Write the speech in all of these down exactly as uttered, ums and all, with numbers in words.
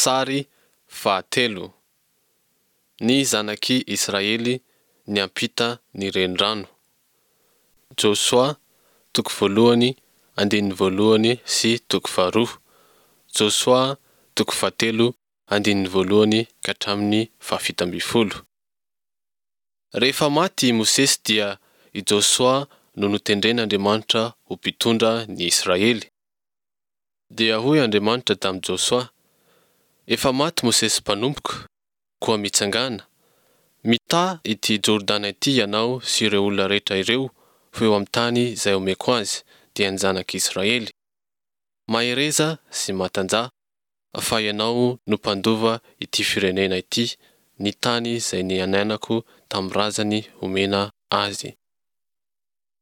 Sary fahatelo: Ny zanak'i Israely niampita ny renirano. Josoa toko voalohany andininy voalohany sy toko faharoa. Josoa toko fahatelo andininy voalohany ka hatramin'ny fahafito ambin'ny folo. Rehefa maty i Mosesy dia i Josoa no notendren'Andriamanitra ho mpitondra ny Israely. Dia hoy Andriamanitra tamin'i Josoa, Efa maty Mosesy mpanompoko, koa mitsangàna, mità ity Jordana ity ianao sy ireo olona rehetra ireo ho eo amin'ny tany izay omeko azy, dia ny zanak'Israely. Mahereza sy matanjaha, fa ianao no mpandova ity firenena ity, ny tany izay nianianako tamin'ny razany homena azy.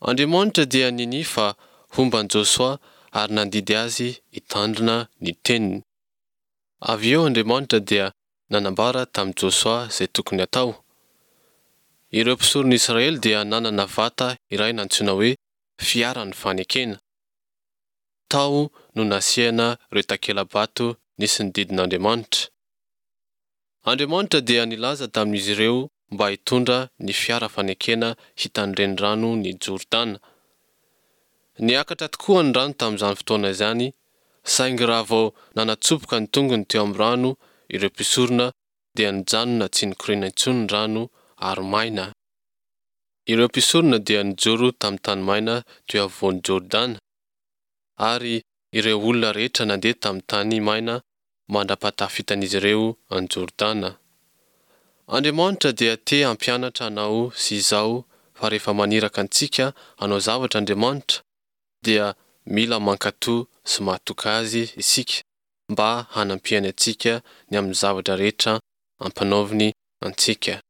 Andriamanitra dia ninia fa homba an'i Josoa ary nandidy azy hitandrina ny teniny. Avy eo Andriamanitra dia nanambara tamin'i Josoa izay tokony hatao. Ireo mpisoron'i Israely dia nanana vata iray nantsoina hoe fiaran'ny fanekena. Tao no nasiana ireo takela-bato nisy ny didin'Andriamanitra. Andriamanitra dia nilaza tamin'izy ireo mba hitondra ny fiara fanekena hitan'ny reniranon'i Jordana. Niakatra tokoa ny rano tamin'izany fotoana izany, saingy raha vao nanatsoboka ny tongony teo amin'ny rano ireo mpisorona dia nijanona tsy nikoriana intsony ny rano ary maina. Ireo mpisorona dia nijoro tamin'ny tany maina teo afovoan'i Jordana, ary ireo olona rehetra nandeha tamin'ny tany maina mandra-pahatafitan'izy ireo an'i Jordana. Andriamanitra dia te hampianatra anao sy izaho fa rehefa maniraka antsika hanao zavatra Andriamanitra, dia mila mankatò sy mahatoky Azy isika mba hanampiany antsika ny amin'ny zavatra rehetra ampanaoviny antsika.